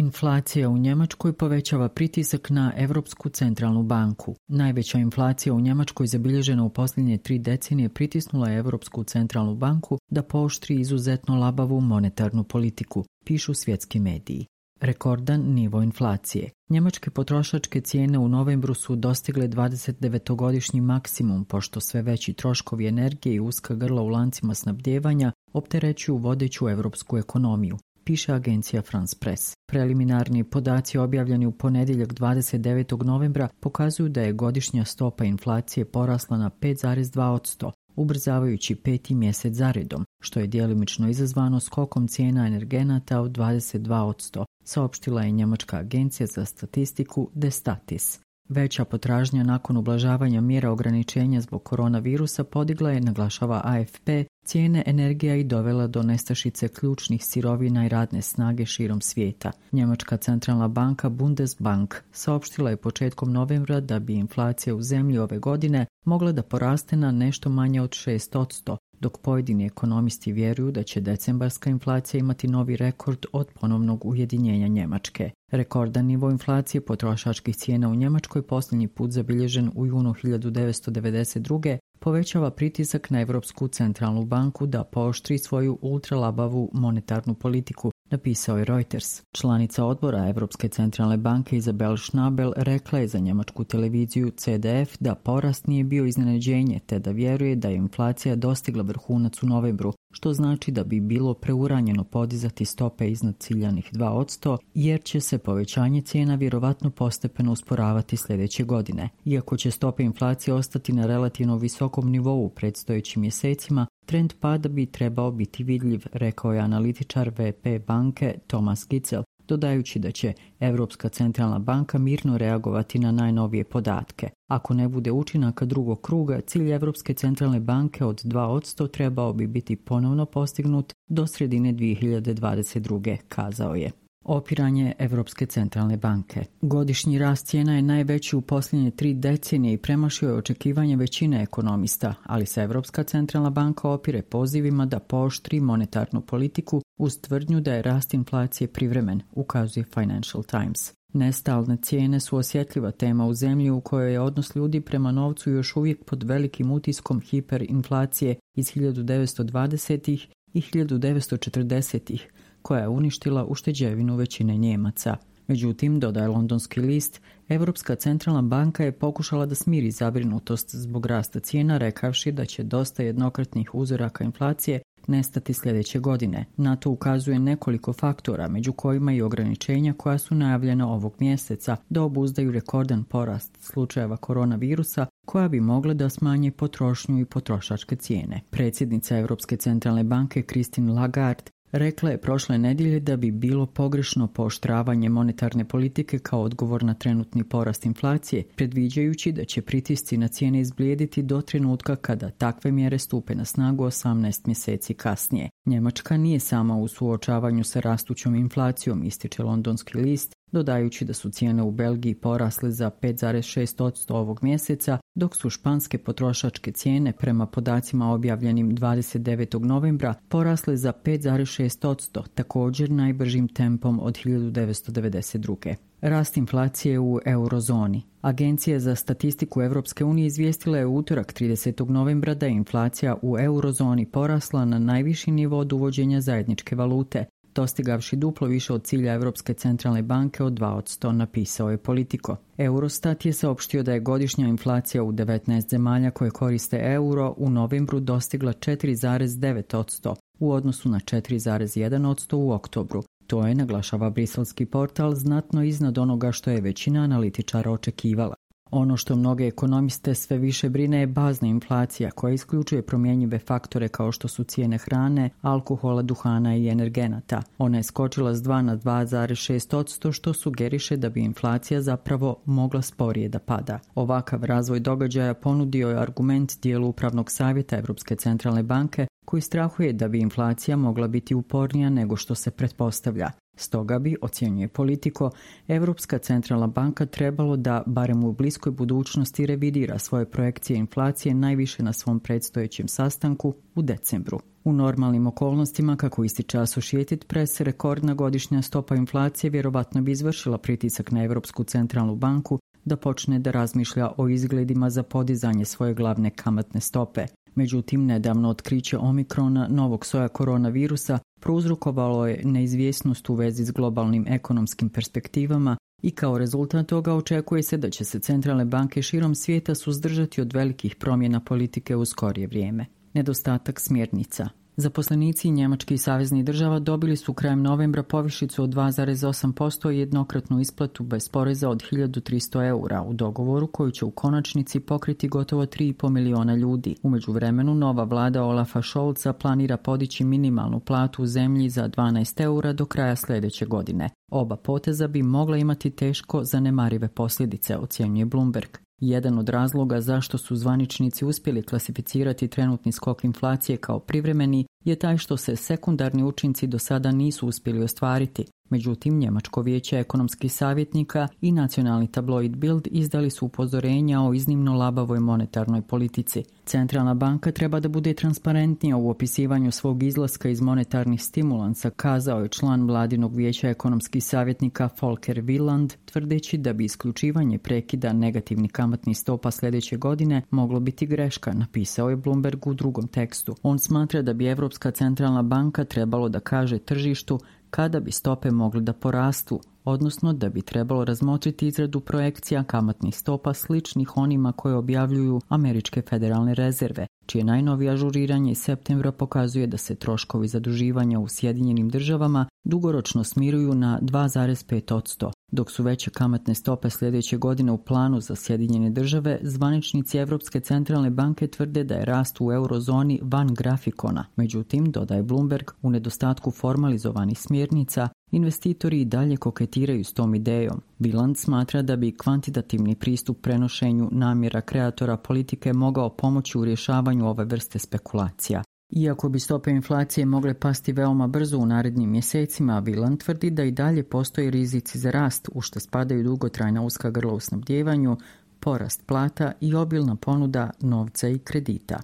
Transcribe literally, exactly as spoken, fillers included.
Inflacija u Njemačkoj povećava pritisak na Europsku centralnu banku. Najveća inflacija u Njemačkoj zabilježena u posljednje tri decenije pritisnula je Europsku centralnu banku da pooštri izuzetno labavu monetarnu politiku, pišu svjetski mediji. Rekordan nivo inflacije. Njemačke potrošačke cijene u novembru su dostigle dvadesetdevetogodišnji maksimum, pošto sve veći troškovi energije i uska grla u lancima snabdijevanja opterećuju vodeću europsku ekonomiju, piše agencija France Press. Preliminarni podaci objavljeni u ponedjeljak dvadeset devetog novembra pokazuju da je godišnja stopa inflacije porasla na pet zarez dva posto, ubrzavajući peti mjesec zaredom, što je djelimično izazvano skokom cijena energenata od dvadeset dva posto, saopštila je njemačka agencija za statistiku Destatis. Veća potražnja nakon ublažavanja mjera ograničenja zbog koronavirusa podigla je, naglašava A F P, cijene energija i dovela do nestašice ključnih sirovina i radne snage širom svijeta. Njemačka centralna banka Bundesbank saopštila je početkom novembra da bi inflacija u zemlji ove godine mogla da poraste na nešto manje od šest posto, dok pojedini ekonomisti vjeruju da će decembarska inflacija imati novi rekord od ponovnog ujedinjenja Njemačke. Rekordan nivo inflacije potrošačkih cijena u Njemačkoj posljednji put zabilježen u junu hiljadu devetsto devedeset druge povećava pritisak na Europsku centralnu banku da pooštri svoju ultralabavu monetarnu politiku, napisao je Reuters. Članica odbora Europske centralne banke Isabel Schnabel rekla je za njemačku televiziju C D F da porast nije bio iznenađenje, te da vjeruje da je inflacija dostigla vrhunac u novembru, što znači da bi bilo preuranjeno podizati stope iznad ciljanih dva posto, jer će se povećanje cijena vjerovatno postepeno usporavati sljedeće godine. Iako će stope inflacije ostati na relativno visokom nivou u predstojećim mjesecima, trend pada bi trebao biti vidljiv, rekao je analitičar V P banke Thomas Gitzel, dodajući da će Europska centralna banka mirno reagovati na najnovije podatke. Ako ne bude učinaka drugog kruga, cilj Europske centralne banke od dva posto trebao bi biti ponovno postignut do sredine dvije hiljade dvadeset druge, kazao je. Opiranje Europske centralne banke. Godišnji rast cijena je najveći u posljednje tri decenije i premašio je očekivanje većine ekonomista, ali se Europska centralna banka opire pozivima da pooštri monetarnu politiku uz tvrdnju da je rast inflacije privremen, ukazuje Financial Times. Nestalne cijene su osjetljiva tema u zemlji u kojoj je odnos ljudi prema novcu još uvijek pod velikim utiskom hiperinflacije iz hiljadu devetsto dvadesetih i hiljadu devetsto četrdesetih, koja je uništila ušteđevinu većine Njemaca. Međutim, dodaje londonski list, Europska centralna banka je pokušala da smiri zabrinutost zbog rasta cijena, rekavši da će dosta jednokratnih uzoraka inflacije nestati sljedeće godine. Na to ukazuje nekoliko faktora, među kojima i ograničenja koja su najavljena ovog mjeseca da obuzdaju rekordan porast slučajeva koronavirusa, koja bi mogla da smanje potrošnju i potrošačke cijene. Predsjednica Europske centralne banke Christine Lagarde rekla je prošle nedjelje da bi bilo pogrešno pooštravanje monetarne politike kao odgovor na trenutni porast inflacije, predviđajući da će pritisci na cijene izblijediti do trenutka kada takve mjere stupe na snagu osamnaest mjeseci kasnije. Njemačka nije sama u suočavanju sa rastućom inflacijom, ističe londonski list, dodajući da su cijene u Belgiji porasle za pet zarez šest posto ovog mjeseca, dok su španske potrošačke cijene prema podacima objavljenim dvadeset devetog novembra porasle za pet zarez šest posto, također najbržim tempom od hiljadu devetsto devedeset druge. Rast inflacije u eurozoni. Agencija za statistiku Europske unije izvijestila je u utorak tridesetog novembra da je inflacija u eurozoni porasla na najviši nivo od uvođenja zajedničke valute, dostigavši duplo više od cilja Europske centralne banke od dva posto, napisao je Politico. Eurostat je saopštio da je godišnja inflacija u devetnaest zemalja koje koriste euro u novembru dostigla četiri zarez devet posto u odnosu na četiri zarez jedan posto u oktobru. To je, naglašava briselski portal, znatno iznad onoga što je većina analitičara očekivala. Ono što mnoge ekonomiste sve više brine je bazna inflacija koja isključuje promjenjive faktore kao što su cijene hrane, alkohola, duhana i energenata. Ona je skočila s dva na dva zarez šest posto što sugeriše da bi inflacija zapravo mogla sporije da pada. Ovakav razvoj događaja ponudio je argument dijelu upravnog savjeta Europske centralne banke koji strahuje da bi inflacija mogla biti upornija nego što se pretpostavlja. Stoga bi, ocjenjuje Politico, Europska centralna banka trebalo da, barem u bliskoj budućnosti, revidira svoje projekcije inflacije najviše na svom predstojećem sastanku u decembru. U normalnim okolnostima, kako ističe Associated Press, rekordna godišnja stopa inflacije vjerovatno bi izvršila pritisak na Europsku centralnu banku da počne da razmišlja o izgledima za podizanje svoje glavne kamatne stope. Međutim, nedavno otkriće omikrona, novog soja koronavirusa, prouzrokovalo je neizvjesnost u vezi s globalnim ekonomskim perspektivama i kao rezultat toga očekuje se da će se centralne banke širom svijeta suzdržati od velikih promjena politike u skorije vrijeme. Nedostatak smjernica. Zaposlenici njemačkih saveznih država dobili su krajem novembra povišicu od dva zarez osam posto i jednokratnu isplatu bez poreza od hiljadu tristo eura u dogovoru koji će u konačnici pokriti gotovo tri i po miliona ljudi. U međuvremenu nova vlada Olafa Scholza planira podići minimalnu platu u zemlji za dvanaest eura do kraja sljedeće godine. Oba poteza bi mogla imati teško zanemarive posljedice, ocjenjuje Bloomberg. Jedan od razloga zašto su zvaničnici uspjeli klasificirati trenutni skok inflacije kao privremeni je taj što se sekundarni učinci do sada nisu uspjeli ostvariti. Međutim, Njemačko vijeće ekonomskih savjetnika i nacionalni tabloid Bild izdali su upozorenja o iznimno labavoj monetarnoj politici. Centralna banka treba da bude transparentnija u opisivanju svog izlaska iz monetarnih stimulansa, kazao je član vladinog vijeća ekonomskih savjetnika Volker Wieland, tvrdeći da bi isključivanje prekida negativnih kamatnih stopa sljedeće godine moglo biti greška, napisao je Bloomberg u drugom tekstu. On smatra da bi Europska centralna banka trebalo da kaže tržištu kada bi stope mogli da porastu, odnosno da bi trebalo razmotriti izradu projekcija kamatnih stopa sličnih onima koje objavljuju američke federalne rezerve, čije najnovije ažuriranje iz septembra pokazuje da se troškovi zaduživanja u Sjedinjenim državama dugoročno smiruju na dva zarez pet posto. Dok su veće kamatne stope sljedeće godine u planu za Sjedinjene države, zvaničnici Europske centralne banke tvrde da je rast u eurozoni van grafikona. Međutim, dodaje Bloomberg, u nedostatku formalizovanih smjernica, investitori i dalje koketiraju s tom idejom. Wieland smatra da bi kvantitativni pristup prenošenju namjera kreatora politike mogao pomoći u rješavanju ove vrste spekulacija. Iako bi stope inflacije mogle pasti veoma brzo u narednim mjesecima, Wieland tvrdi da i dalje postoji rizici za rast, u što spadaju dugotrajna uska grla u snabdjevanju, porast plata i obilna ponuda novca i kredita.